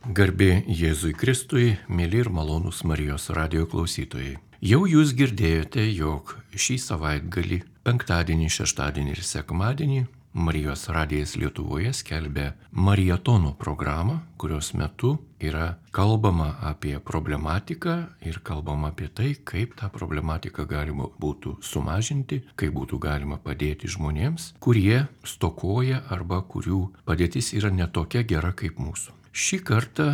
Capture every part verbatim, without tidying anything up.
Garbė Jėzui Kristui, mėly ir malonūs Marijos radijo klausytojai. Jau jūs girdėjote, jog šį savaitgalį, penktadienį, šeštadienį ir sekmadienį Marijos radijas Lietuvoje skelbia maratono programą, kurios metu yra kalbama apie problematiką ir kalbama apie tai, kaip tą problematiką galima būtų sumažinti, kaip būtų galima padėti žmonėms, kurie stokoja arba kurių padėtis yra netokia gera kaip mūsų. Šį kartą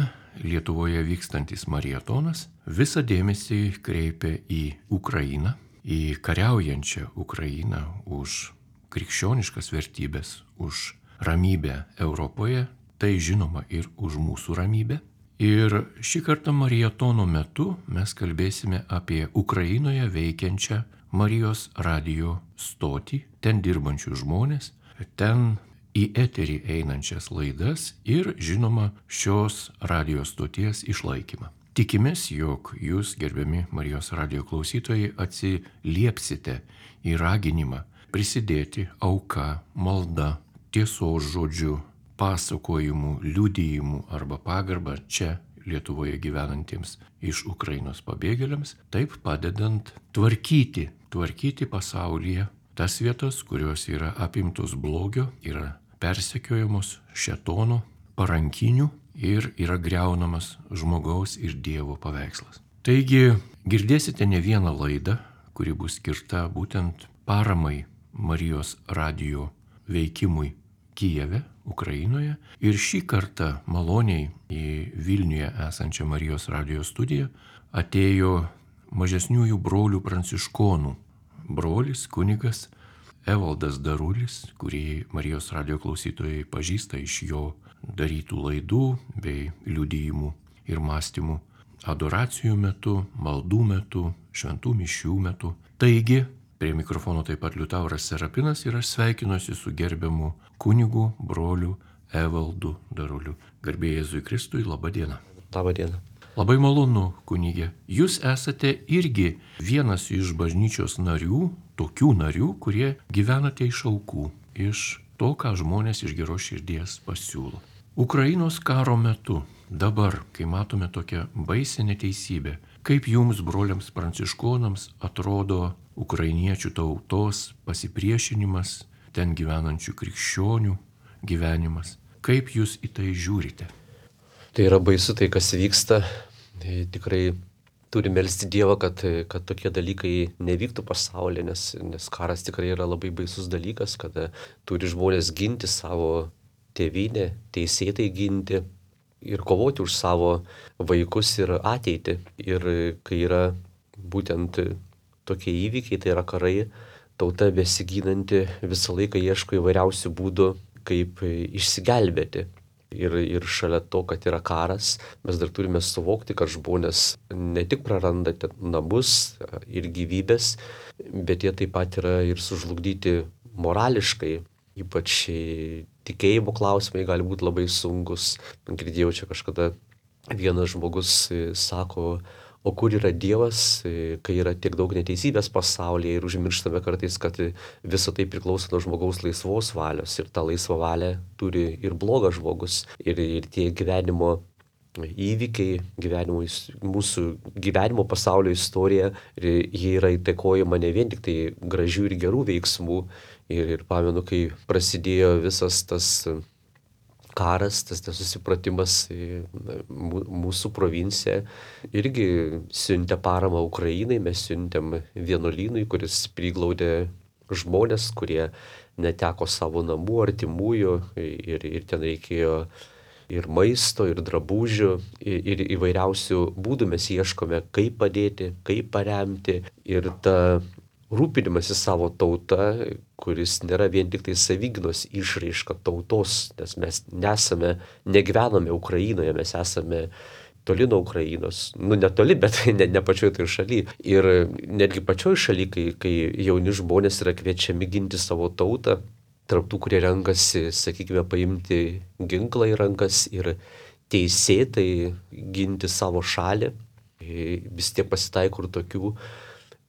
Lietuvoje vykstantis maratonas visą dėmesį kreipia į Ukrainą, į kariaujančią Ukrainą už krikščioniškas vertybės, už ramybę Europoje, tai žinoma ir už mūsų ramybę. Ir šį kartą maratono metu mes kalbėsime apie Ukrainoje veikiančią Marijos radijo stotį, ten dirbančių žmonės, ten į eterį einančias laidas ir, žinoma, šios radijo stoties išlaikymą. Tikimės, jog jūs, gerbiami Marijos radijo klausytojai, atsiliepsite į raginimą prisidėti auka, malda, tiesos žodžiu, pasakojimu, liudijimu arba pagarba čia Lietuvoje gyvenantiems iš Ukrainos pabėgėliams, taip padedant tvarkyti, tvarkyti pasaulyje tas vietas, kurios yra apimtos blogio, yra persekiojamos šėtono, parankinių ir yra griaunamas žmogaus ir Dievo paveikslas. Taigi girdėsite ne vieną laidą, kuri bus skirta būtent paramai Marijos radijo veikimui Kijeve, Ukrainoje. Ir šį kartą maloniai į Vilniuje esančią Marijos radijo studiją atėjo mažesniųjų brolių pranciškonų brolis, kunigas Evaldas Darulis, kurį Marijos radijo klausytojai pažįsta iš jo darytų laidų bei liudijimų ir mąstymų adoracijų metu, maldų metu, šventų mišių metu. Taigi, prie mikrofono taip pat Liutauras Serapinas ir aš sveikinuosi su gerbiamu kunigu, broliu Evaldu Daruliu. Garbė Jėzui Kristui, laba diena. Labą dieną. Labai malonu, kunigė. Jūs esate irgi vienas iš bažnyčios narių, tokių narių, kurie gyvenate iš aukų, iš to, ką žmonės iš geros širdies pasiūlo. Ukrainos karo metu, dabar, kai matome tokią baisę neteisybę, kaip jums, broliams pranciškonams, atrodo ukrainiečių tautos pasipriešinimas, ten gyvenančių krikščionių gyvenimas? Kaip jūs į tai žiūrite? Tai yra baisu tai, kas vyksta. Tai tikrai turime melsti Dievą, kad, kad tokie dalykai nevyktų pasaulyje, nes, nes karas tikrai yra labai baisus dalykas, kada turi žmonės ginti savo tėvynę, teisėtai ginti ir kovoti už savo vaikus ir ateitį. Ir kai yra būtent tokie įvykiai, tai yra karai, tauta besiginanti visą laiką ieško įvairiausių būdų, kaip išsigelbėti. Ir, ir šalia to, kad yra karas, mes dar turime suvokti, kad žmonės ne tik praranda namus ir gyvybės, bet jie taip pat yra ir sužlugdyti morališkai. Ypač tikėjimo klausimai gali būti labai sunkus. Girdėjau čia kažkada vienas žmogus sako, o kur yra Dievas, kai yra tiek daug neteisybės pasaulyje ir užmirštame kartais, kad visa tai priklauso nuo žmogaus laisvos valios ir tą laisvą valią turi ir blogas žmogus. Ir, ir tie gyvenimo įvykiai, gyvenimo, mūsų gyvenimo pasaulio istorija, jie yra įtakojama ne vien tik tai gražių ir gerų veiksmų. Ir, ir pamenu, kai prasidėjo visas tas karas, tas nesusipratimas mūsų provincija irgi siuntė paramą Ukrainai, mes siuntėm vienuolynui, kuris priglaudė žmonės, kurie neteko savo namų, artimųjų ir, ir ten reikėjo ir maisto, ir drabužių, ir, ir įvairiausių būdų mes ieškome, kaip padėti, kaip paremti. Ir ta rūpinimasis savo tauta, kuris nėra vien tik tai savygynos išraiška tautos, nes mes nesame, negyvename Ukrainoje, mes esame toli nuo Ukrainos. Nu, netoli, bet ne, ne pačioj tai šaly. Ir netgi pačioj šaly, kai, kai jauni žmonės yra kviečiami ginti savo tautą, tarp tų, kurie renkasi, sakykime, paimti ginklą į rankas ir teisėtai ginti savo šalį, vis tiek pasitaiko ir tokių,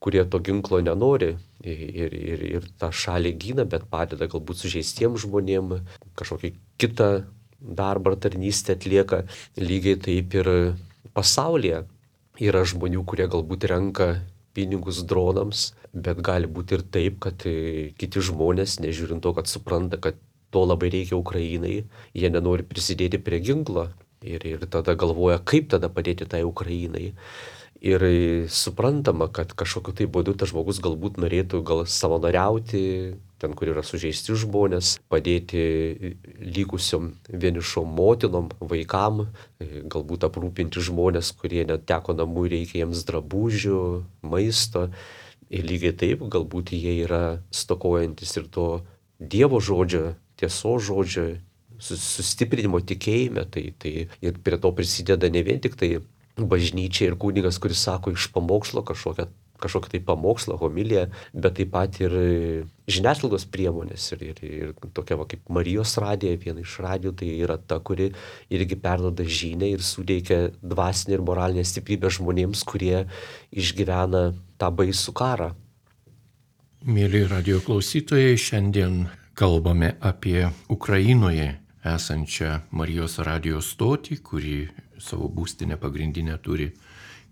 kurie to ginklo nenori ir, ir, ir tą šalį gina, bet padeda galbūt sužeistiem žmonėm kažkokį kitą darbą ar tarnystę atlieka. Lygiai taip ir pasaulyje yra žmonių, kurie galbūt renka pinigus dronams, bet gali būti ir taip, kad kiti žmonės, nežiūrint to, kad supranta, kad to labai reikia Ukrainai, jie nenori prisidėti prie ginklo ir, ir tada galvoja, kaip tada padėti tai Ukrainai. Ir suprantama, kad kažkokiu tai būdu tas žmogus galbūt norėtų gal savanoriauti, ten, kur yra sužeisti žmonės, padėti likusiom vienišom motinom, vaikam, galbūt aprūpinti žmonės, kurie neteko namų, reikia jiems drabužių, maisto. Ir lygiai taip, galbūt jie yra stokojantis ir to Dievo žodžio, tiesos žodžio, sustiprinimo tikėjime. Tai, tai ir prie to prisideda ne vien tik tai bažnyčia ir kunigas, kuris sako iš pamokslo kažkokią, kažkokią tai pamokslą, homiliją, bet taip pat ir žiniasklaidos priemonės. Ir, ir, ir tokia va, kaip Marijos radija, viena iš radijų, tai yra ta, kuri irgi perduoda žinią ir suteikia dvasinę ir moralinę stiprybę žmonėms, kurie išgyvena tą baisų karą. Mėly radijo klausytojai, šiandien kalbame apie Ukrainoje esančią Marijos radijo stotį, kuri savo būstinę pagrindinę turi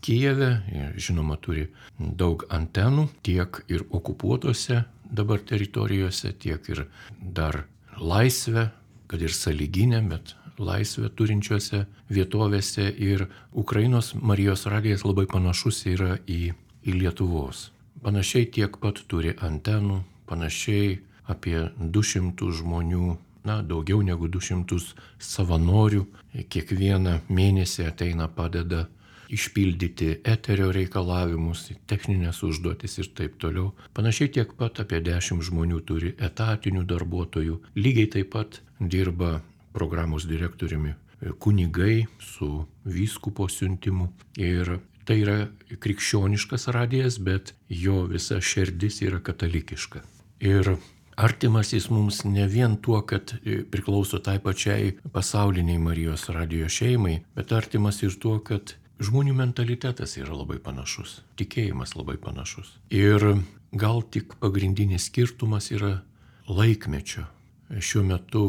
Kijeve ir žinoma turi daug antenų, tiek ir okupuotose dabar teritorijose, tiek ir dar laisvę, kad ir sąlyginę, bet laisvę turinčiose vietovėse. Ir Ukrainos Marijos radijas labai panašus yra į, į Lietuvos. Panašiai tiek pat turi antenų, panašiai apie du šimtus žmonių, na, daugiau negu du šimtus savanorių. Kiekvieną mėnesį ateina, padeda išpildyti eterio reikalavimus, techninės užduotis ir taip toliau. Panašiai tiek pat apie dešimt žmonių turi etatinių darbuotojų. Lygiai taip pat dirba programos direktoriumi kunigai su vyskupo siuntimu. Ir tai yra krikščioniškas radijas, bet jo visa širdis yra katalikiška. Ir artimas jis mums ne vien tuo, kad priklauso tai pačiai pasauliniai Marijos radijo šeimai, bet artimas ir tuo, kad žmonių mentalitetas yra labai panašus, tikėjimas labai panašus. Ir gal tik pagrindinis skirtumas yra laikmečio. Šiuo metu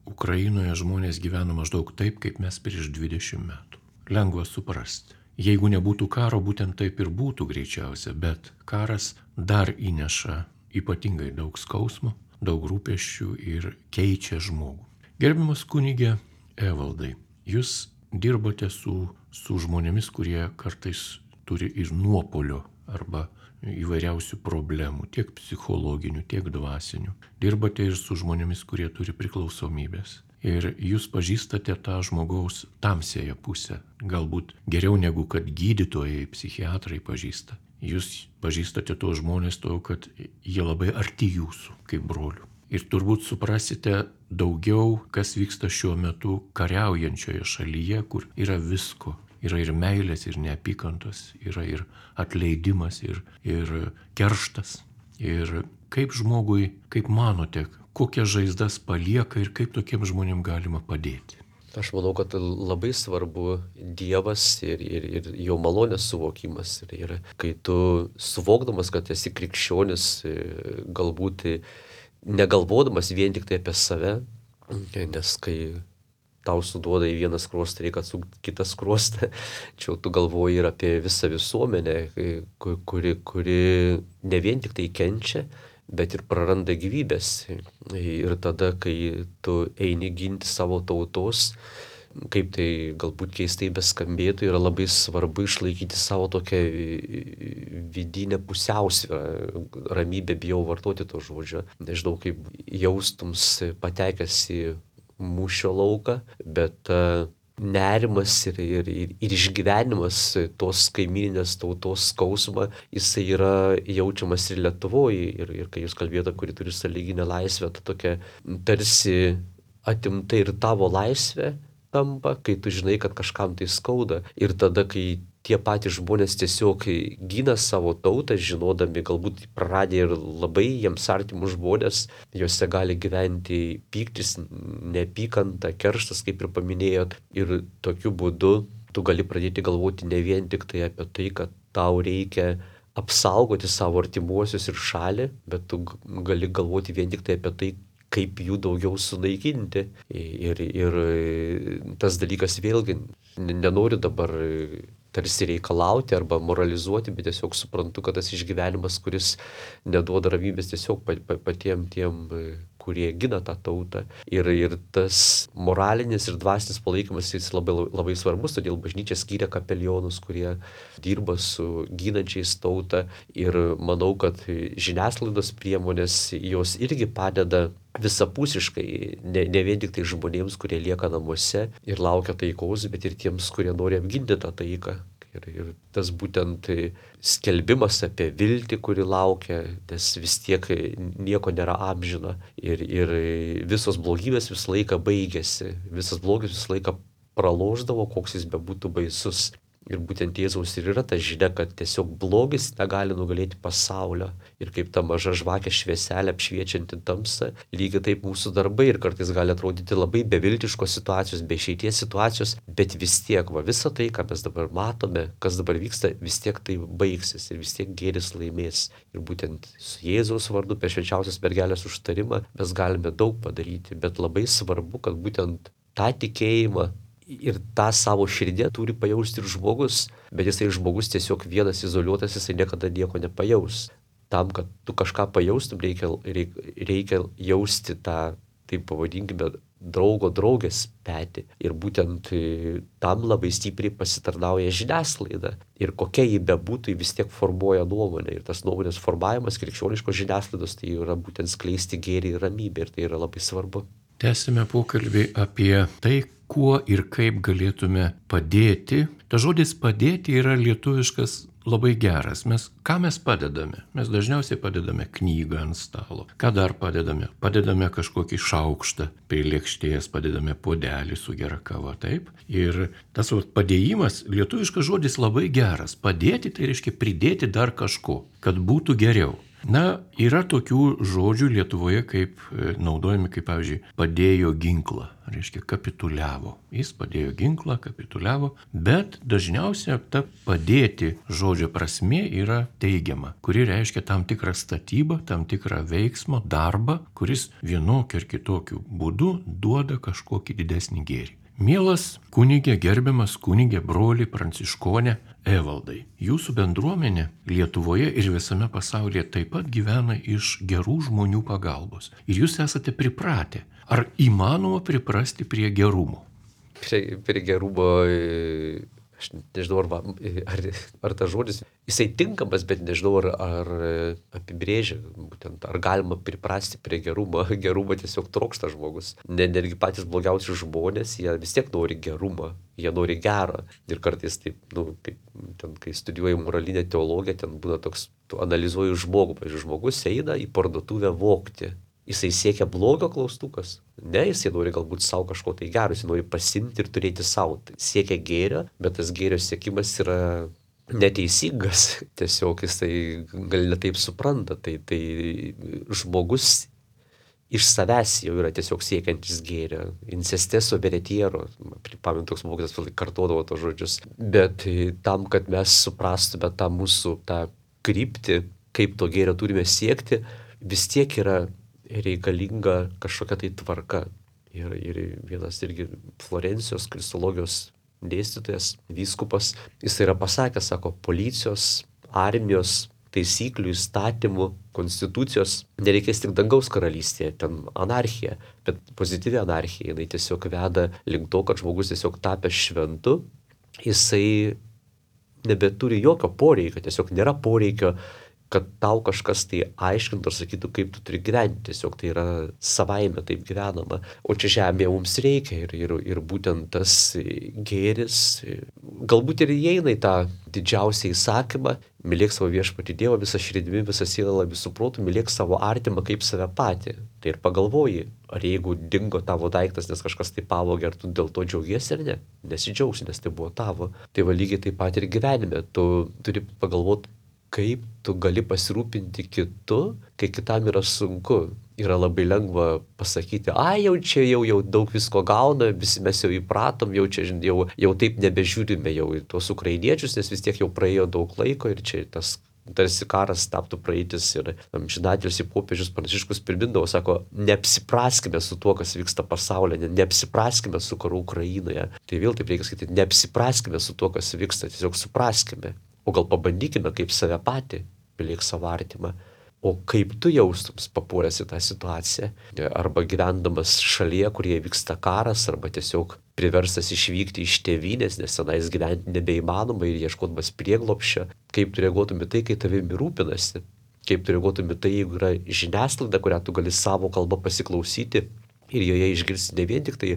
Ukrainoje žmonės gyvena maždaug taip, kaip mes prieš dvidešimt metų. Lengva suprasti. Jeigu nebūtų karo, būtent taip ir būtų greičiausia, bet karas dar įneša ypatingai daug skausmo, daug rūpesčių ir keičia žmogų. Gerbiamas kunige Evaldai, jūs dirbote su, su žmonėmis, kurie kartais turi ir nuopolio arba įvairiausių problemų, tiek psichologinių, tiek dvasinių. Dirbate ir su žmonėmis, kurie turi priklausomybės. Ir jūs pažįstate tą žmogaus tamsiąją pusę, galbūt geriau negu kad gydytojai, psichiatrai pažįsta. Jūs pažįstate tuos žmonės to, kad jie labai arti jūsų, kaip brolių. Ir turbūt suprasite daugiau, kas vyksta šiuo metu kariaujančioje šalyje, kur yra visko. Yra ir meilės, ir neapykantos, yra ir atleidimas, ir, ir kerštas. Ir kaip žmogui, kaip manote, kokias žaizdas palieka ir kaip tokiems žmonėms galima padėti? Aš manau, kad labai svarbu Dievas ir, ir, ir jo malonės suvokimas. Ir, ir kai tu suvokdamas, kad esi krikščionis, galbūt negalvodamas vien tik tai apie save, nes kai tau suduoda į vieną skruostą, reikia atsukti kitą skruostą, čia tu galvoji ir apie visą visuomenę, kuri, kuri ne vien tik tai kenčia, bet ir praranda gyvybės. Ir tada, kai tu eini ginti savo tautos, kaip tai galbūt keistai beskambėtų, yra labai svarbu išlaikyti savo tokią vidinę pusiausvyrą, ramybę, bijau vartoti to žodžio. Nežinau, kaip jaustums patekęs į mūšio lauką, bet nerimas ir, ir, ir, ir išgyvenimas tos kaimyninės tautos skausmą, jisai yra jaučiamas ir Lietuvoje. Ir, ir kai jūs kalbėjote, kuri turi sąlyginę laisvę, tai tokia tarsi atimta ir tavo laisvė tampa, kai tu žinai, kad kažkam tai skauda. Ir tada, kai tie patys žmonės tiesiog gina savo tautą, žinodami, galbūt praradę ir labai jiems artimus žmonės, juose gali gyventi pyktis, neapykanta, kerštas, kaip ir paminėjot. Ir tokiu būdu tu gali pradėti galvoti ne vien tik tai apie tai, kad tau reikia apsaugoti savo artimuosius ir šalį, bet tu gali galvoti vien tik tai apie tai, kaip jų daugiau sunaikinti. Ir, ir tas dalykas vėlgi, nenoriu dabar tarsi reikalauti arba moralizuoti, bet tiesiog suprantu, kad tas išgyvenimas, kuris neduoda ramybės tiesiog patiem tiem, kurie gina tą tautą. Ir, ir tas moralinis ir dvasinis palaikymas jis labai, labai svarbus, todėl bažnyčia skyrė kapelionus, kurie dirba su ginančiais tautą. Ir manau, kad žiniasklaidos priemonės jos irgi padeda visapusiškai, ne, ne vien tik tai žmonėms, kurie lieka namuose ir laukia taikos, bet ir tiems, kurie nori apginti tą taiką. Ir, ir tas būtent skelbimas apie viltį, kuri laukia, nes vis tiek nieko nėra amžina. Ir, ir visos blogybės visą laiką baigėsi, visas blogis visą laiką pralošdavo, koks jis bebūtų baisus. Ir būtent Jėzaus ir yra ta žinia, kad tiesiog blogis negali nugalėti pasaulio. Ir kaip ta maža žvakė švieselė apšviečianti tamsą, lygiai taip mūsų darbai ir kartais gali atrodyti labai beviltiškos situacijos, be išeities situacijos, bet vis tiek, va, visa tai, ką mes dabar matome, kas dabar vyksta, vis tiek tai baigsis ir vis tiek gėris laimės. Ir būtent su Jėzaus vardu per švenčiausios mergelės užtarimą mes galime daug padaryti, bet labai svarbu, kad būtent tą tikėjimą ir tą savo širdį turi pajausti ir žmogus, bet jisai žmogus tiesiog vienas izoliuotas, jisai niekada nieko nepajaus. Tam, kad tu kažką pajaustum, reikia, reikia, reikia jausti tą, taip pavadinkime, draugo draugės petį. Ir būtent tam labai stipriai pasitarnauja žiniasklaida. Ir kokia ji bebūtų, ji vis tiek formuoja nuomonę. Ir tas nuomonės formavimas krikščioniškos žiniasklaidos tai yra būtent skleisti gėrį ir ramybę. Ir tai yra labai svarbu. Tęsime pokalbį apie tai, kuo ir kaip galėtume padėti. Ta žodis padėti yra lietuviškas labai geras. Mes, ką mes padedame? Mes dažniausiai padedame knygą ant stalo. Ką dar padedame? Padedame kažkokį šaukštą prie lėkštės, padedame puodelį su gera kava, taip? Ir tas vat, padėjimas, lietuviškas žodis labai geras. Padėti tai reiškia pridėti dar kažko, kad būtų geriau. Na, yra tokių žodžių Lietuvoje, kaip naudojami, kaip pavyzdžiui, padėjo ginklą, reiškia kapituliavo. Jis padėjo ginklą, kapituliavo, bet dažniausiai ta padėti žodžio prasmė yra teigiama, kuri reiškia tam tikrą statybą, tam tikrą veiksmą, darbą, kuris vienokiu ar kitokiu būdu duoda kažkokį didesnį gėrį. Mielas kunigė, gerbiamas kunigė, broli pranciškonė Evaldai, jūsų bendruomenė Lietuvoje ir visame pasaulyje taip pat gyvena iš gerų žmonių pagalbos. Ir jūs esate pripratę. Ar įmanoma priprasti prie gerumo? Prie, prie gerumo, aš nežinau, ar, ar, ar tas žodis, jisai tinkamas, bet nežinau, ar, ar apibrėžia, būtent, ar galima priprasti prie gerumo. Gerumo tiesiog trokšta žmogus. Ne, netgi patys blogiausi žmonės, jie vis tiek nori gerumo, jie nori gero. Ir kartais taip, nu, kaip, ten, kai studijuoju moralinę teologiją, ten būna toks, tu analizuoji žmogų. Pavyzdžiui, žmogus eina į parduotuvę vogti. Jisai siekia blogio klaustukas. Ne, jisai nori galbūt savo kažko tai gero, jisai nori pasimti ir turėti savo. Tai siekia gėrio, bet tas gėrio siekimas yra neteisingas. Tiesiog jisai gal netaip supranta. Tai, tai žmogus iš savęs jau yra tiesiog siekiantis gėrio. Incesteso veretiero. Pamenu, toks mokytas kartodavo tos žodžius. Bet tam, kad mes suprastume tą mūsų tą kryptį, kaip to gėrio turime siekti, vis tiek yra reikalinga kažkokia tai tvarka. Ir, ir vienas irgi Florencijos kristologijos dėstytojas, vyskupas, jis yra pasakęs, sako, policijos, armijos, taisyklių, įstatymų, konstitucijos nereikės tik dangaus karalystėje, ten anarchija, bet pozityvi anarchija, jinai tiesiog veda link to, kad žmogus tiesiog tapęs šventu, jisai nebeturi jokio poreikio, tiesiog nėra poreikio, kad tau kažkas tai aiškintų ar sakytų, kaip tu turi gyventi. Tiesiog tai yra savaime taip gyvenama. O čia žemėje mums reikia ir, ir, ir būtent tas gėris galbūt ir įeina į tą didžiausią įsakymą. Mylėk savo viešpatį Dievą visą širdimi, visą sielą, visų protų, mylėk savo artimą kaip save patį. Tai ir pagalvoji, ar jeigu dingo tavo daiktas, nes kažkas tai pavogė, ar tu dėl to džiaugiesi ar ne? Nesidžiaugsi, nes tai buvo tavo. Tai va lygiai taip pat ir gyvenime. Tu turi pagalvoti, kaip tu gali pasirūpinti kitu, kai kitam yra sunku. Yra labai lengva pasakyti, ai jau čia jau, jau daug visko gauna, visi mes jau įpratom, jau čia jau, jau taip nebežiūrime jau į tuos ukrainiečius, nes vis tiek jau praėjo daug laiko ir čia tas tarsi karas taptų praeitis ir amžinatilsį popiežius Pranciškus primindavo, sako, neapsipraskime su tuo, kas vyksta pasaulyje, neapsipraskime su karu Ukrainoje. Tai vėl taip reikia skaityti, neapsipraskime su tuo, kas vyksta, tiesiog supraskime. O gal pabandykime kaip save patį, mylėk savo artimą. O kaip tu jaustums papuolęs į tą situaciją, arba gyvendamas šalyje, kurie vyksta karas, arba tiesiog priverstas išvykti iš tėvynės, nes tenais gyventi nebeįmanoma ir ieškodamas prieglopščio, kaip tu reaguotum į tai, kai tavimi rūpinasi, kaip tu reaguotum į tai, jeigu yra žiniasklaida, kurią tu gali savo kalbą pasiklausyti ir joje išgirsti ne vien tik tai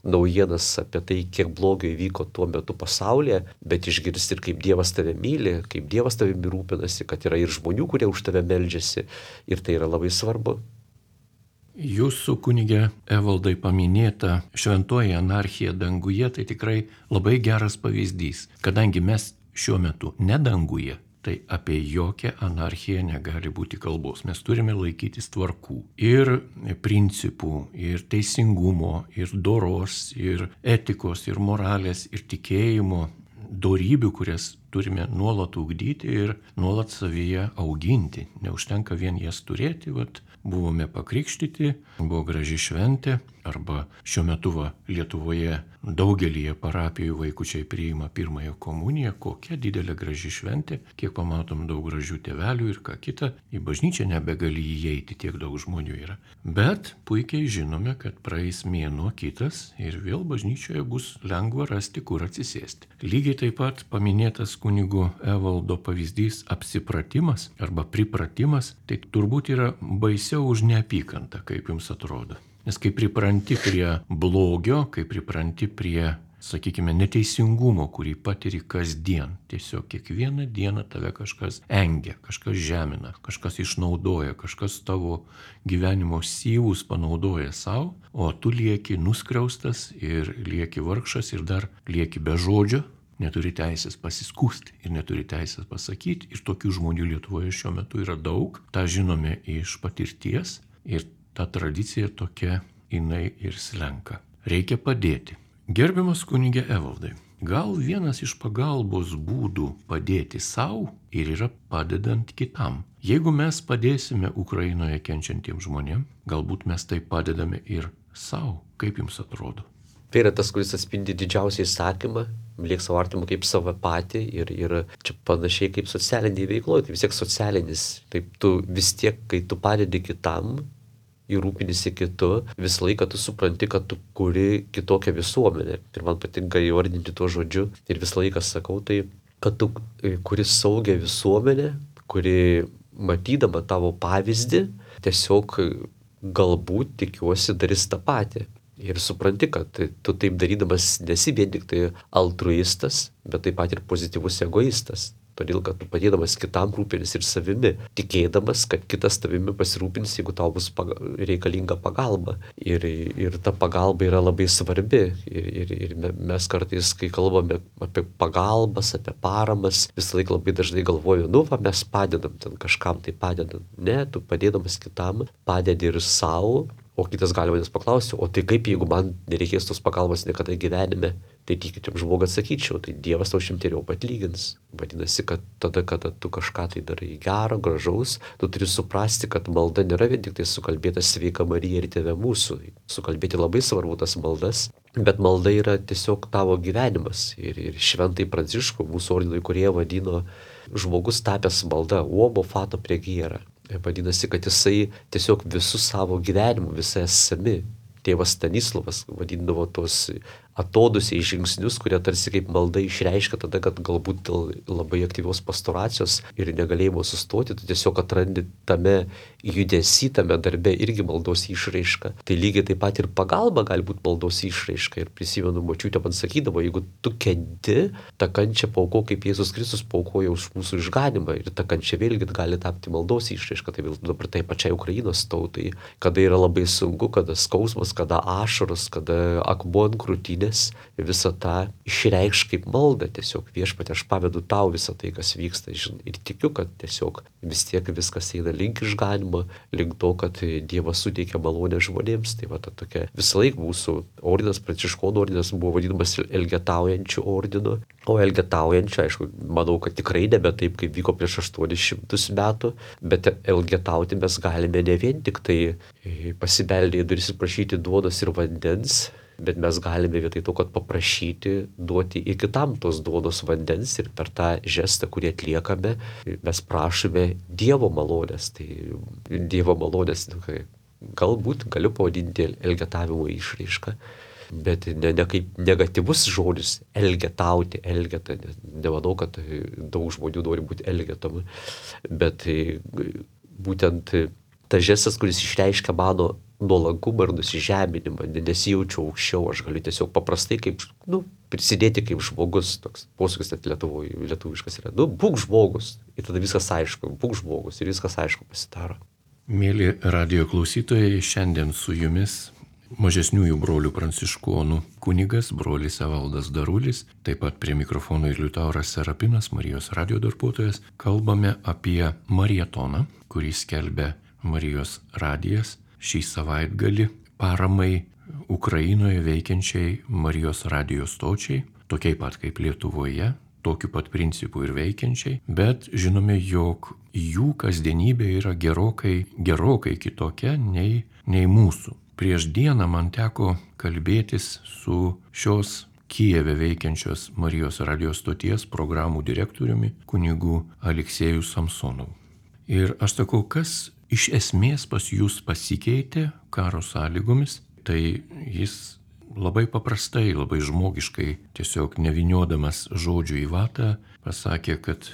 naujienas apie tai, kiek blogio įvyko tuo metu pasaulyje, bet išgirsti ir kaip Dievas tave myli, kaip Dievas tavimi rūpinasi, kad yra ir žmonių, kurie už tave meldžiasi ir tai yra labai svarbu. Jūsų kunige Evaldai paminėta šventoji anarchija danguje, tai tikrai labai geras pavyzdys, kadangi mes šiuo metu ne danguje, tai apie jokią anarchiją negali būti kalbos. Mes turime laikytis tvarkų ir principų, ir teisingumo, ir doros, ir etikos, ir moralės, ir tikėjimo, dorybių, kurias turime nuolat ugdyti ir nuolat savyje auginti. Neužtenka vien jas turėti, vat, buvome pakrikštyti, buvo graži šventė, arba šiuo metu va, Lietuvoje daugelyje parapijų vaikučiai priima pirmąją komuniją, kokia didelė graži šventė, kiek pamatom daug gražių tėvelių ir ką kita, į bažnyčią nebegali įeiti, tiek daug žmonių yra. Bet puikiai žinome, kad praeis mėnuo kitas ir vėl bažnyčioje bus lengva rasti, kur atsisėsti. Lygiai taip pat paminėtas kunigo Evaldo pavyzdys apsipratimas arba pripratimas, tai turbūt yra baisiau už neapykantą, kaip jums atrodo. Nes kai pripranti prie blogio, kai pripranti prie, sakykime, neteisingumo, kurį patiri kasdien, tiesiog kiekvieną dieną tave kažkas engia, kažkas žemina, kažkas išnaudoja, kažkas tavo gyvenimo syvus panaudoja savo, o tu lieki nuskriaustas ir lieki vargšas ir dar lieki be žodžio, neturi teisės pasiskųsti ir neturi teisės pasakyti. Ir tokių žmonių Lietuvoje šiuo metu yra daug, tą žinome iš patirties ir ta tradicija tokia, jinai ir slenka. Reikia padėti. Gerbiamas kunige Evaldai, gal vienas iš pagalbos būdų padėti savo ir yra padedant kitam. Jeigu mes padėsime Ukrainoje kenčiantiems žmonėms, galbūt mes tai padedame ir savo. Kaip jums atrodo? Tai yra tas, kuris atspindi didžiausią įsakymą, mylėk savo artimą kaip save patį ir, ir čia panašiai kaip socialiniai veikloje, tai vis tiek socialinis. Taip tu vis tiek, kai tu padedi kitam, ir rūpinisi kitu, visą laiką tu supranti, kad tu kuri kitokią visuomenę. Ir man patinka įvardinti tuo žodžiu. Ir visą laiką sakau tai, kad tu kuri saugią visuomenę, kuri matydama tavo pavyzdį, tiesiog galbūt tikiuosi darys tą patį. Ir supranti, kad tu taip darydamas nesi vien tik tai altruistas, bet taip pat ir pozityvus egoistas. Todėl, kad tu padėdamas kitam rūpinis ir savimi, tikėdamas, kad kitas tavimi pasirūpins, jeigu tau bus paga- reikalinga pagalba. Ir, ir ta pagalba yra labai svarbi. Ir, ir, ir mes kartais, kai kalbame apie pagalbas, apie paramas, visą laiką labai dažnai galvoju, nu, va, mes padedam ten kažkam tai padedam. Ne, tu padėdamas kitam, padedi ir savo. O kitas gali manęs paklausti, o tai kaip, jeigu man nereikės tos pagalbos niekada gyvenime, tai tikinčiam žmogui atsakyčiau, tai Dievas tau šimteriaupai atlygins. Vadinasi, kad tada, kada tu kažką tai darai gero, gražaus, tu turi suprasti, kad malda nėra vien tik tai sukalbėtas Sveika Marija ir Tėve mūsų. Sukalbėti labai svarbu tas maldas, bet malda yra tiesiog tavo gyvenimas. Ir, ir šventai Pranciškų, mūsų ordino įkūrėją, vadino žmogus tapęs malda, uomo fato pregėra. Vadinasi, kad jisai tiesiog visų savo gyvenimų, visai esami. Tėvas Stanislavas vadindavo tos atodusiai žingsnius, kurie tarsi kaip malda išreiškia tada, kad galbūt dėl labai aktyvios pastoracijos ir negalėjimo sustoti, tu tiesiog atrandi tame judesy, tame darbe irgi maldos išraiška. Tai lygiai taip pat ir pagalba gali būti maldos išraiška. Ir prisimenu, močiutė man sakydavo, jeigu tu kenti, tą kančią paauko, kaip Jėzus Kristus paaukojo už mūsų išganimą. Ir ta kančia vėlgi gali tapti maldos išraiška. Tai vėl dabar tai pačiai Ukrainos tautai, kada yra labai sunku, kada skausmas, kada ašaros, kada akmuo ant krūtinės, malonės, visą tą išreikš kaip maldą. Tiesiog Viešpatie, aš pavedu tau visą tai, kas vyksta. Žin, ir tikiu, kad tiesiog vis tiek viskas eina link išganimo, link to, kad Dievas suteikia malonę žmonėms. Tai va ta tokia visą laiką mūsų ordinas, pranciškonų ordinas buvo vadinamas elgetaujančių ordinu. O elgetaujančių, aišku, manau, kad tikrai nebe taip, kaip vyko prieš aštuonis šimtus metų, bet elgetauti mes galime ne vien tik tai pasibeldę į duris ir prašyti duonos ir vandens, bet mes galime vietoj to, kad paprašyti, duoti ir kitam tos duonos vandens ir per tą žestą, kurį atliekame, mes prašome Dievo malonės. Tai Dievo malonės, galbūt galiu pavadinti elgetavimo išraišką, bet ne, ne kaip negatyvus žodis elgetauti, elgeta. Nemanau, kad daug žmonių nori būti elgetami, bet būtent tas žestas, kuris išreiškia mano nuolankumą ir nusižeminimą, nesijaučiu aukščiau, aš galiu tiesiog paprastai kaip, nu, prisidėti kaip žmogus, toks posūkis net lietuvoje, lietuviškas yra, nu, būk žmogus, ir tada viskas aišku, būk žmogus ir viskas aišku pasidaro. Mėly radijo klausytojai, šiandien su jumis mažesniųjų brolių pranciškonų kunigas, brolis Evaldas Darulis, taip pat prie mikrofono ir Liutauras Serapinas, Marijos radijo darbuotojas, kalbame apie marietoną, kurį skelbia Marijos radijas šį savaitgalį paramai Ukrainoje veikiančiai Marijos radijo stočiai, tokiai pat kaip Lietuvoje, tokiu pat principu ir veikiančiai, bet žinome, jog jų kasdienybė yra gerokai, gerokai kitokia nei, nei mūsų. Prieš dieną man teko kalbėtis su šios Kijeve veikiančios Marijos radijo stoties programų direktoriumi kunigu Aleksejų Samsonovu. Ir aš sakau, kas iš esmės pas jūs pasikeitė karo sąlygomis, tai jis labai paprastai, labai žmogiškai, tiesiog nevyniodamas žodžių į vatą, pasakė, kad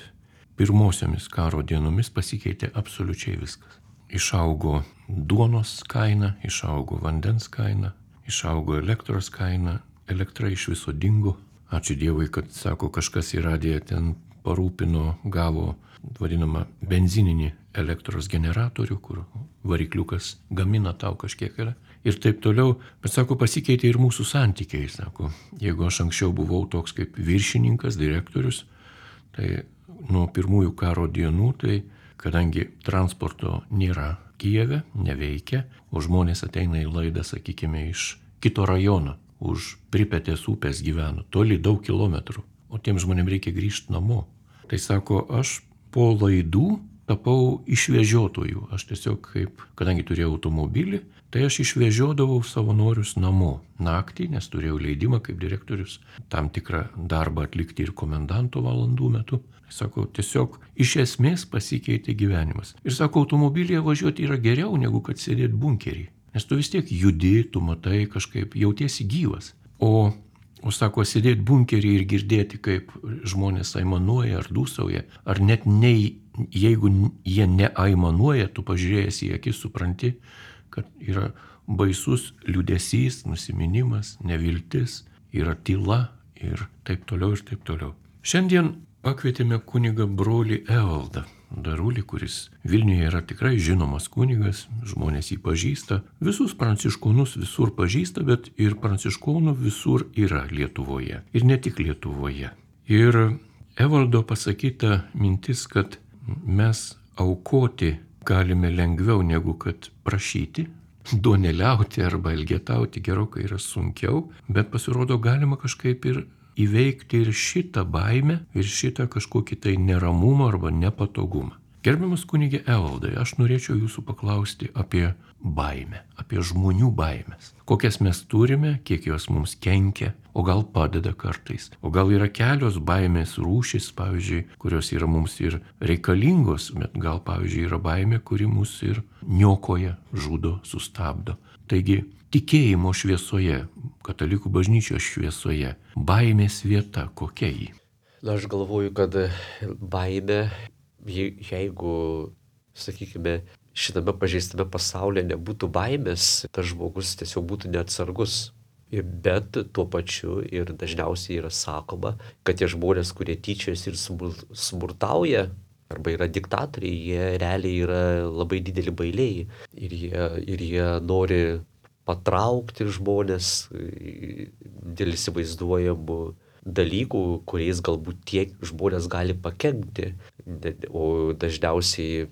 pirmosiomis karo dienomis pasikeitė absoliučiai viskas. Išaugo duonos kaina, išaugo vandens kaina, išaugo elektros kaina, elektra iš viso dingo. Ačiū Dievui, kad, sako, kažkas į radiją ten parūpino, gavo vadinamą benzininį elektros generatorių, kur varikliukas gamina tau kažkiek yra. Ir taip toliau, bet sako, pasikeitė ir mūsų santykiai, sako. Jeigu aš anksčiau buvau toks kaip viršininkas, direktorius, tai nuo pirmųjų karo dienų, tai kadangi transporto nėra Kijeve, neveikia, o žmonės ateina į laidą, sakykime, iš kito rajono, už Pripetės upės gyveno, toli daug kilometrų, o tiem žmonėm reikia grįžti namo. Tai sako, aš po laidų tapau išvežiotojų. Aš tiesiog kaip, kadangi turėjau automobilį, tai aš išvežiodavau savanorius namo naktį, nes turėjau leidimą kaip direktorius tam tikrą darbą atlikti ir komendanto valandų metu. Sako, tiesiog iš esmės pasikeitė gyvenimas. Ir sako, automobilyje važiuoti yra geriau negu kad sėdėti bunkerį. Nes tu vis tiek judi, tu matai kažkaip, jautiesi gyvas. O O sako, sėdėti bunkerį ir girdėti, kaip žmonės aimanuoja ar dūsauja, ar net ne, jeigu jie neaimanuoja, tu pažiūrėjęs į akis supranti, kad yra baisus liūdesys, nusiminimas, neviltis, yra tyla ir taip toliau ir taip toliau. Šiandien pakvietėme kunigą brolį Evaldą Darulį, kuris Vilniuje yra tikrai žinomas kunigas, žmonės jį pažįsta, visus pranciškonus visur pažįsta, bet ir pranciškonų visur yra Lietuvoje. Ir ne tik Lietuvoje. Ir Evaldo pasakyta mintis, kad mes aukoti galime lengviau negu kad prašyti, duoneliauti arba elgetauti gerokai yra sunkiau, bet pasirodo galima kažkaip ir įveikti ir šitą baimę, ir šitą kažkokį tai neramumą arba nepatogumą. Gerbiamas kunige Evaldai, aš norėčiau jūsų paklausti apie baimę, apie žmonių baimės. Kokias mes turime, kiek jos mums kenkia, o gal padeda kartais. O gal yra kelios baimės rūšis, pavyzdžiui, kurios yra mums ir reikalingos, bet gal, pavyzdžiui, yra baimė, kuri mus ir niokoja, žudo, sustabdo. Taigi, tikėjimo šviesoje, katalikų bažnyčios šviesoje, baimės vieta, kokia ji? Na, aš galvoju, kad baimė, jeigu, sakykime, šitame pažeistame pasaulyje nebūtų baimės, tas žmogus tiesiog būtų neatsargus. Bet tuo pačiu ir dažniausiai yra sakoma, kad tie žmonės, kurie tyčiasi ir smurtauja, arba yra diktatoriai, jie realiai yra labai dideli bailiai. Ir jie, ir jie nori patraukti žmonės dėl įsivaizduojamų dalykų, kuriais galbūt tie žmonės gali pakenkti. O dažniausiai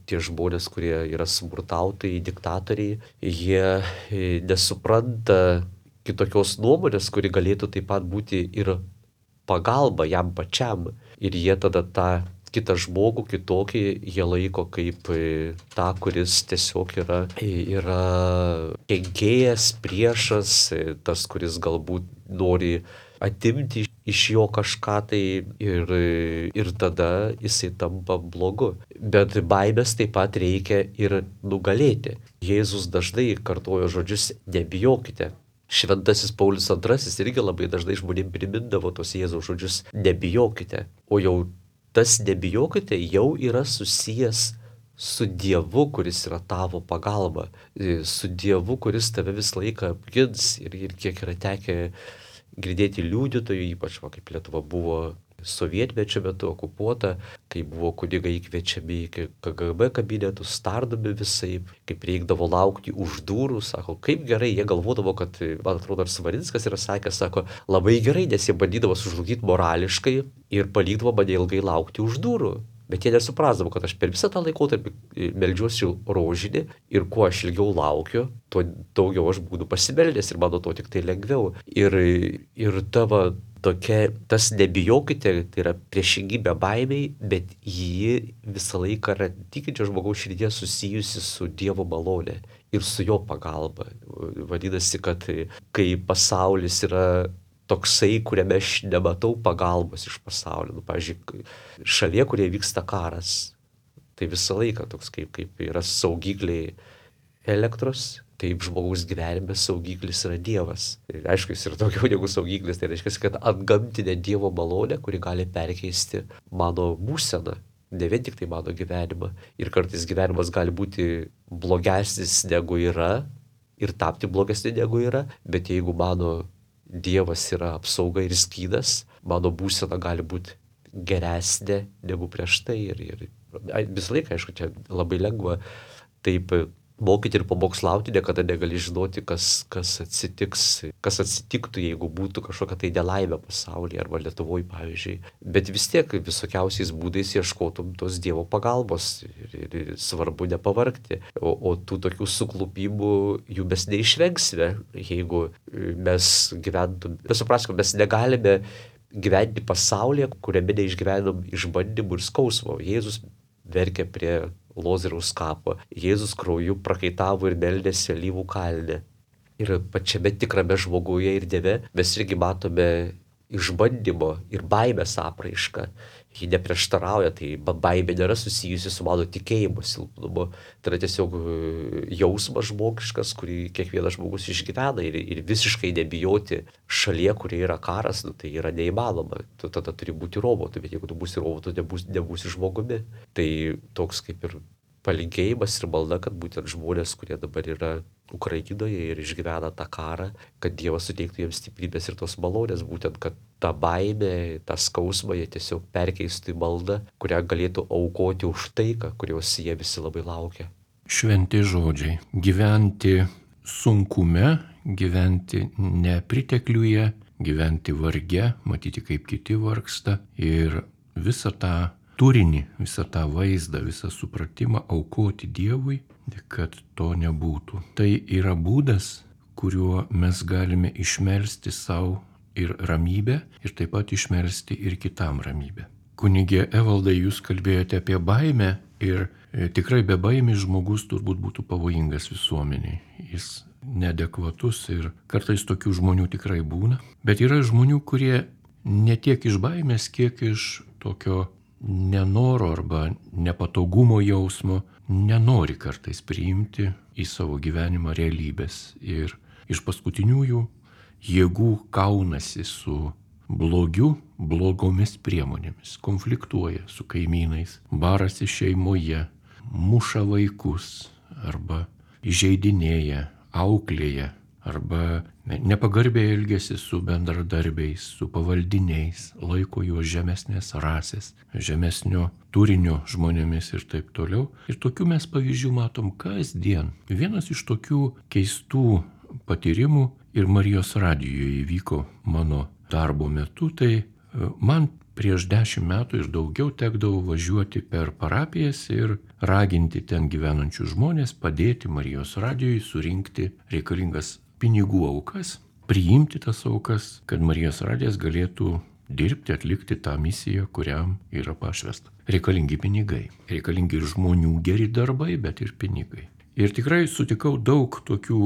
tie žmonės, kurie yra smurtautojai, diktatoriai, jie nesupranta kitokios nuomonės, kuri galėtų taip pat būti ir pagalba jam pačiam. Ir jie tada tą kitą žmogų, kitokį, jie laiko kaip tą, kuris tiesiog yra, yra kenkėjas, priešas, tas, kuris galbūt nori atimti iš jo kažką tai ir, ir tada jisai tampa blogu. Bet baimės taip pat reikia ir nugalėti. Jėzus dažnai kartojo žodžius nebijokite. Šventasis Paulius antrasis irgi labai dažnai žmonėm primindavo tos Jėzaus žodžius nebijokite. O jau tas nebijokite jau yra susijęs su Dievu, kuris yra tavo pagalba. Su Dievu, kuris tave visą laiką apgins. Ir, ir kiek yra tekę girdėti liudytojų, ypač va, kaip Lietuva buvo sovietmečio metu okupuota, kai buvo kunigai kviečiami į K G B kabinetus, tardomi visaip, kaip reikdavo laukti už durų, sako, kaip gerai, jie galvodavo, kad, man atrodo, ar Svarinskas yra sakęs, sako, labai gerai, nes jie bandydavo sužlugdyti morališkai ir palikdavo mane ilgai laukti už durų. Bet jie nesuprasdavo, kad aš per visą tą laikotarpį meldžiuosi rožinį ir kuo aš ilgiau laukiu, tuo daugiau aš būnu pasimeldęs ir mano to tik tai lengviau. Ir, ir tavo tokia, tas nebijokite, tai yra priešingybė baimiai, bet ji visą laiką yra tikinčio žmogaus širdyje susijusi su Dievo malonė ir su jo pagalba. Vadinasi, kad kai pasaulis yra toksai, kuriame aš nematau pagalbos iš pasaulio. Nu, pavyzdžiui, šalyje, kurie vyksta karas, tai visą laiką toks kaip, kaip yra saugikliai elektros, taip žmogaus gyvenime saugiklis yra Dievas. Ir aišku, jis yra daugiau negu saugiklis, tai reiškia, kad antgamtinė Dievo malonė, kuri gali perkeisti mano būseną, ne vien tik tai mano gyvenimą. Ir kartais gyvenimas gali būti blogesnis negu yra ir tapti blogesnis negu yra, bet jeigu mano Dievas yra apsauga ir skydas, mano būsena gali būti geresnė negu prieš tai. Ir, ir visą laiką, aišku, čia labai lengva taip mokyti ir pamokslauti, niekada negali žinoti, kas, kas atsitiks, kas atsitiktų, jeigu būtų kažkokia tai nelaimė pasaulyje arba Lietuvoje, pavyzdžiui. Bet vis tiek visokiausiais būdais ieškotum tos Dievo pagalbos ir, ir, ir svarbu nepavargti. O, o tų tokių suklupimų jų mes neišvengsime, jeigu mes gyventum. Mes supraskime, mes negalime gyventi pasaulyje, kuriame neišgyvenom išbandymų ir skausmo. Jėzus verkė prie Lozoriaus kapo. Jėzus krauju prakaitavo ir meldėsi alyvų kalne. Ir pačiame tikrame žmoguje ir Dieve mes irgi matome išbandymo ir baimės apraišką. Ji neprieštarauja, tai baimė nėra susijusi su mano tikėjimo silpnumu. Tai yra tiesiog jausmas žmogiškas, kurį kiekvienas žmogus išgyvena ir, ir visiškai nebijoti šalyje, kurie yra karas, nu, tai yra neįmanoma. Tu tada turi būti robotu, bet jeigu tu būsi robotu, nebūsi, nebūsi žmogumi. Tai toks kaip ir palinkėjimas ir malda, kad būtent žmonės, kurie dabar yra Ukrainoje ir išgyvena tą karą, kad Dievas suteiktų jiems stiprybės ir tos malonės, būtent, kad tą baimę, tą skausmą jie tiesiog perkeistų į maldą, kurią galėtų aukoti už taiką, kurios jie visi labai laukia. Šventi žodžiai. Gyventi sunkume, gyventi nepritekliuje, gyventi varge, matyti kaip kiti vargsta ir visą tą turinį, visą tą vaizdą, visą supratimą aukoti Dievui, kad to nebūtų. Tai yra būdas, kuriuo mes galime išmelsti savo ir ramybę ir taip pat išmelsti ir kitam ramybę. Kunigė Evaldai, jūs kalbėjote apie baimę ir tikrai be baimės žmogus turbūt būtų pavojingas visuomeniai. Jis neadekvatus ir kartais tokių žmonių tikrai būna. Bet yra žmonių, kurie ne tiek iš baimės, kiek iš tokio nenoro arba nepatogumo jausmo nenori kartais priimti į savo gyvenimą realybės ir iš paskutiniųjų jėgų kaunasi su blogiu, blogomis priemonėmis, konfliktuoja su kaimynais, barasi šeimoje, muša vaikus arba įžeidinėja, auklėja arba nepagarbiai elgiasi su bendradarbiais, su pavaldiniais, laiko juos žemesnės rasės, žemesnio turinio žmonėmis ir taip toliau. Ir tokių mes pavyzdžių matom kasdien. Vienas iš tokių keistų patyrimų ir Marijos radijoje įvyko mano darbo metu, tai man prieš dešimt metų ir daugiau tekdavo važiuoti per parapijas ir raginti ten gyvenančius žmonės padėti Marijos radijui surinkti reikalingas pinigų aukas, priimti tas aukas, kad Marijos radijas galėtų dirbti, atlikti tą misiją, kuriam yra pašvesta. Reikalingi pinigai, reikalingi ir žmonių geri darbai, bet ir pinigai. Ir tikrai sutikau daug tokių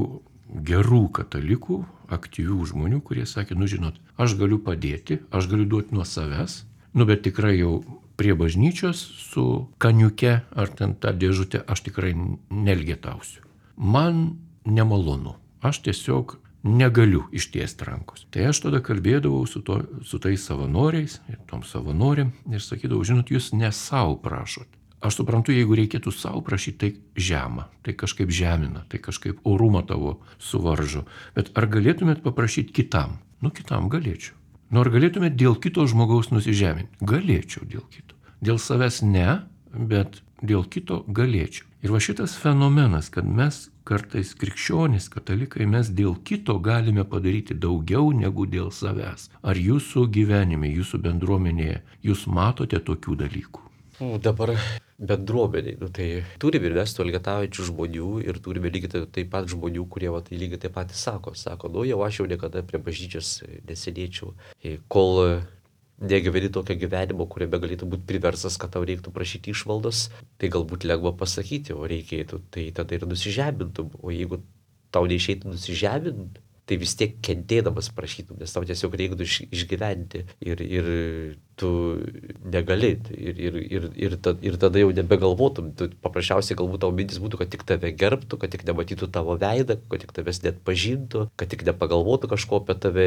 gerų katalikų, aktyvių žmonių, kurie sakė, nu žinot, aš galiu padėti, aš galiu duoti nuo savęs, nu bet tikrai jau prie bažnyčios su kaniuke ar ten tą dėžutę aš tikrai nelgetausiu. Man nemalonu, aš tiesiog negaliu ištiesti rankos. Tai aš tada kalbėdavau su, to, su tais savanoriais ir tom savanoriam ir sakydavau, žinot, jūs ne savo prašot. Aš suprantu, jeigu reikėtų savo prašyti, tai žema, tai kažkaip žemina, tai kažkaip orumą tavo suvaržo. Bet ar galėtumėt paprašyti kitam? Nu, kitam galėčiau. Nu, ar galėtumėt dėl kito žmogaus nusižeminti? Galėčiau dėl kito. Dėl savęs ne, bet dėl kito galėčiau. Ir va šitas fenomenas, kad mes kartais krikščionys, katalikai, mes dėl kito galime padaryti daugiau negu dėl savęs. Ar jūsų gyvenime, jūsų bendruomenėje, jūs matote tokių dalykų? Dabar bendruomeniai, nu, tai turime ir mes tų elgetaujančių žmonių ir turime lygiai taip pat žmonių, kurie va, tai lygiai taip pat sako, sako, nu jau aš jau niekada prie bažnyčios nesėdėčiau, kol negyveni tokio gyvenimo, kuriame galėtų būti priversas, kad tau reiktų prašyti išmaldos, tai galbūt lengva pasakyti, o reikėtų, tai tada ir nusižemintum, o jeigu tau neišeitų nusižeminti, tai vis tiek kentėdamas prašytum, nes tau tiesiog reiktų išgyventi ir, ir tu negali ir, ir, ir, ir, ta, ir tada jau nebegalvotum, tu paprasčiausiai galbūt tavo mintis būtų, kad tik tave gerbtų, kad tik nematytų tavo veidą, kad tik tavęs net pažintų, kad tik nepagalvotų kažko apie tave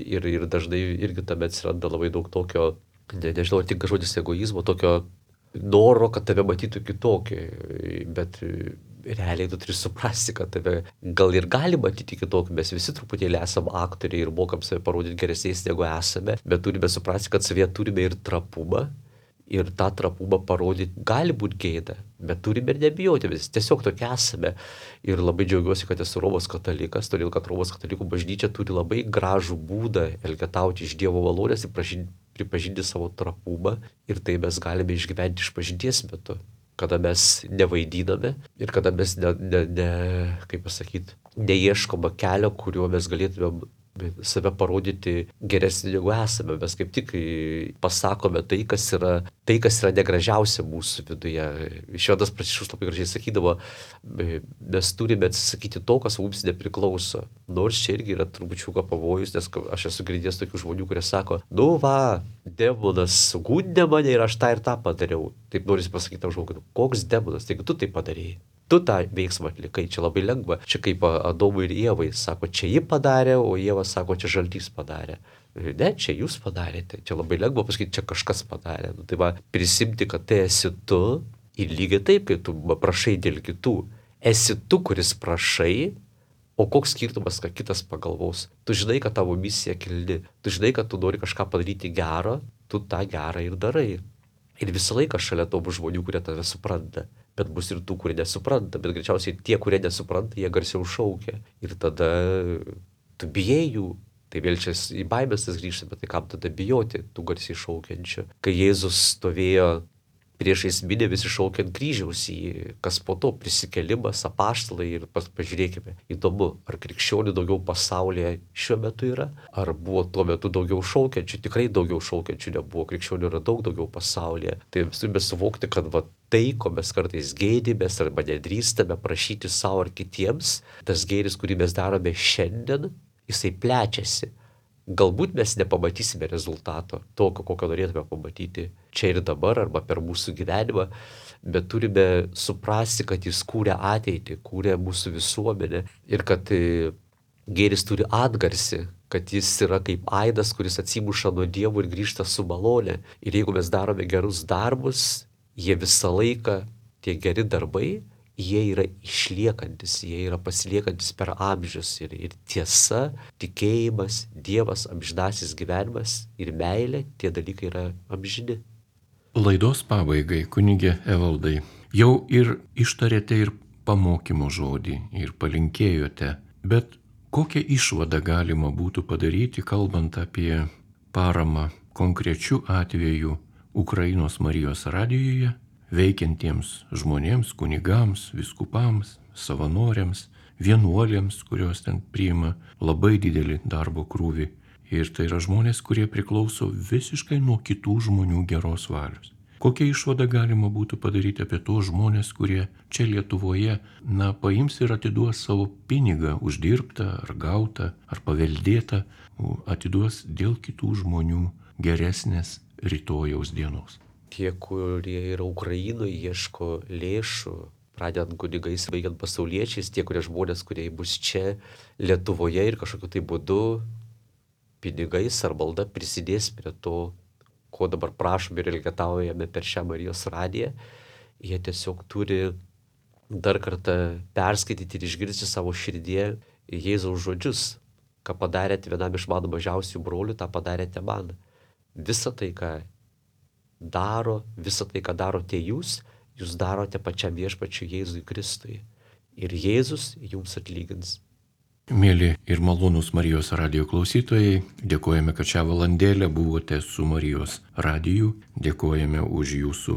ir, ir dažnai irgi tame atsiranda labai daug tokio, ne, nežinau, tik žodis egoizmo, tokio noro, kad tave matytų kitokį, bet realiai tu turi suprasti, kad tave gal ir gali matyti kitokį, mes visi truputėlį esame aktoriai ir mokam save parodyti geresniais negu esame, bet turime suprasti, kad savyje turime ir trapumą ir tą trapumą parodyti gali būti gėda, bet turime ir nebijoti, mes tiesiog tokie esame. Ir labai džiaugiuosi, kad esu Romos katalikas, todėl kad Romos katalikų bažnyčia turi labai gražų būdą elgetauti iš Dievo malonės ir pražinti, pripažinti savo trapumą ir tai mes galime išgyventi išpažinties metu, kada mes nevaidiname ir kada mes ne, ne, ne kaip pasakyti, neieškoma kelio, kuriuo mes galėtume save parodyti geresnį negu esame. Mes kaip tik pasakome tai, kas yra, tai, kas yra negražiausia mūsų viduje. Šventas Pranciškus labai gražiai sakydavo, mes turime atsisakyti to, kas mums nepriklauso. Nors čia irgi yra trupučiuką pavojus, nes aš esu girdėjęs tokių žmonių, kurie sako, nu va, demonas gundė mane ir aš tą ir tą padariau. Taip norisi pasakyti tam žmogui, koks demonas, taigi tu tai padarėjai. Tu tą veiksmą atlikai, čia labai lengva. Čia kaip Adomui ir Ievai, sako, čia ji padarė, o Ieva sako, čia žaltys padarė. Ne, čia jūs padarėte, čia labai lengva pasakyti, čia kažkas padarė. Nu, tai va, prisimti, kad tai esi tu ir lygiai taip, kai tu prašai dėl kitų. Esi tu, kuris prašai, o koks skirtumas, kad kitas pagalvos. Tu žinai, kad tavo misija kilni, tu žinai, kad tu nori kažką padaryti gero, tu tą gerą ir darai. Ir visą laiką šalia to bus žmonių, kurie tave supranta. Bet bus ir tų, kurie nesupranta, bet greičiausiai tie, kurie nesupranta, jie garsiau šaukia. Ir tada tu bijai jų. Tai vėl čia į baimės tas grįžta, bet tai kam tada bijoti tų garsiai šaukiančių. Kai Jėzus stovėjo priešais minią visi šaukiant kryžiaus į, kas po to prisikėlimas, apaštalai ir pažiūrėkime. Įdomu, ar krikščionių daugiau pasaulyje šiuo metu yra, ar buvo tuo metu daugiau šaukiančių, tikrai daugiau šaukiančių nebuvo, krikščionių yra daug daugiau pasaulyje. Tai mes turime suvokti, kad va, tai, ko mes kartais gėdimės arba nedrįstame prašyti savo ar kitiems, tas gėris, kurį mes darome šiandien, jisai plečiasi. Galbūt mes nepamatysime rezultato, tokio, kokio norėtume pamatyti čia ir dabar arba per mūsų gyvenimą, bet turime suprasti, kad jis kūrė ateitį, kūrė mūsų visuomenę ir kad gėris turi atgarsį, kad jis yra kaip aidas, kuris atsimuša nuo Dievo ir grįžta su malonė. Ir jeigu mes darome gerus darbus, jie visą laiką, tie geri darbai, jie yra išliekantis, jie yra pasiliekantis per amžius ir, ir tiesa, tikėjimas, Dievas, amžinasis gyvenimas ir meilė, tie dalykai yra amžini. Laidos pabaigai, kunigė Evaldai, jau ir ištarėte ir pamokymo žodį, ir palinkėjote, bet Kokią išvadą galima būtų padaryti, kalbant apie paramą konkrečių atvejų Ukrainos Marijos radijuje veikiantiems žmonėms, kunigams, viskupams, savanoriams, vienuolėms, kurios ten priima labai didelį darbo krūvį. Ir tai yra žmonės, kurie priklauso visiškai nuo kitų žmonių geros valios. Kokią išvadą galima būtų padaryti apie tuos žmonės, kurie čia Lietuvoje, na, paims ir atiduos savo pinigą, uždirbtą ar gautą, ar paveldėtą, atiduos dėl kitų žmonių geresnės rytojaus dienos. Tie, kurie yra Ukrainoje, ieško lėšų, pradedant kunigais, baigiant pasauliečiais, tie, kurie žmonės, kurie bus čia Lietuvoje ir kažkokiu tai būdu pinigais ar malda prisidės prie to, ko dabar prašome ir elgetaujame per šią Marijos radiją, jie tiesiog turi dar kartą perskaityti ir išgirsti savo širdyje Jėzaus žodžius, ką padarėte vienam iš mano mažiausių brolių, tą padarėte man. Visa tai, ką daro, visa tai, ką darote jūs, jūs darote pačiam viešpačiui Jėzui Kristui. Ir Jėzus jums atlygins. Mėly ir malonūs Marijos radijo klausytojai, dėkojame, kad šią valandėlę buvote su Marijos radiju, dėkojame už jūsų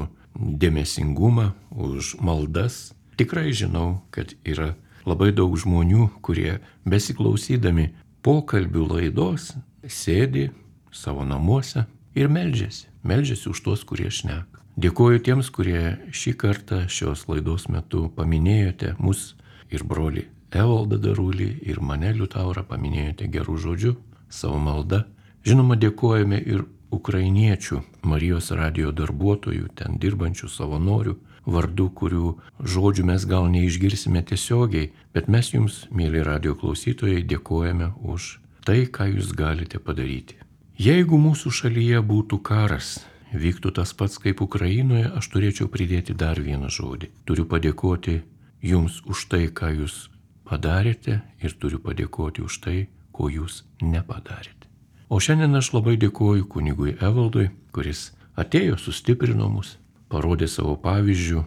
dėmesingumą, už maldas. Tikrai žinau, kad yra labai daug žmonių, kurie besiklausydami pokalbių laidos sėdi savo namuose ir meldžiasi, meldžiasi už tuos, kurie šneka. Dėkoju tiems, kurie šį kartą šios laidos metu paminėjote mus ir brolį Evaldą Darulį ir mane Liutaurą, paminėjote gerų žodžių, savo maldą. Žinoma, dėkojame ir ukrainiečių Marijos radijo darbuotojų, ten dirbančių savanorių, vardų, kurių žodžių mes gal neišgirsime tiesiogiai, bet mes jums, mėly radijo klausytojai, dėkojame už tai, ką jūs galite padaryti. Jeigu mūsų šalyje būtų karas, vyktų tas pats kaip Ukrainoje, aš turėčiau pridėti dar vieną žodį. Turiu padėkoti jums už tai, ką jūs padarėte ir turiu padėkoti už tai, ko jūs nepadarėte. O šiandien aš labai dėkoju kunigui Evaldui, kuris atėjo, sustiprino mus, parodė savo pavyzdžių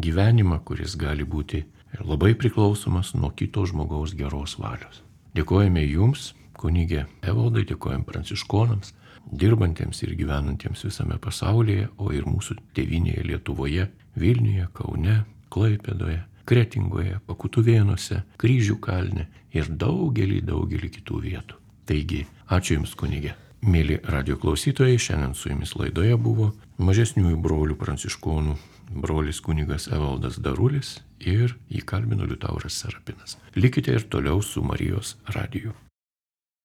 gyvenimą, kuris gali būti labai priklausomas nuo kito žmogaus geros valios. Dėkojame jums, kunigė Evaldai, dėkojame pranciškonams, dirbantiems ir gyvenantiems visame pasaulyje, o ir mūsų tėvynėje Lietuvoje, Vilniuje, Kaune, Klaipėdoje, Kretingoje, Pakutuvėnuose, Kryžių kalne ir daugelį, daugelį kitų vietų. Taigi, ačiū Jums, kunigė. Mėly radijo klausytojai, šiandien su Jumis laidoje buvo mažesniųjų brolių pranciškonų brolis kunigas Evaldas Darulis ir jį kalbino Liutauras Serapinas. Likite ir toliau su Marijos radiju.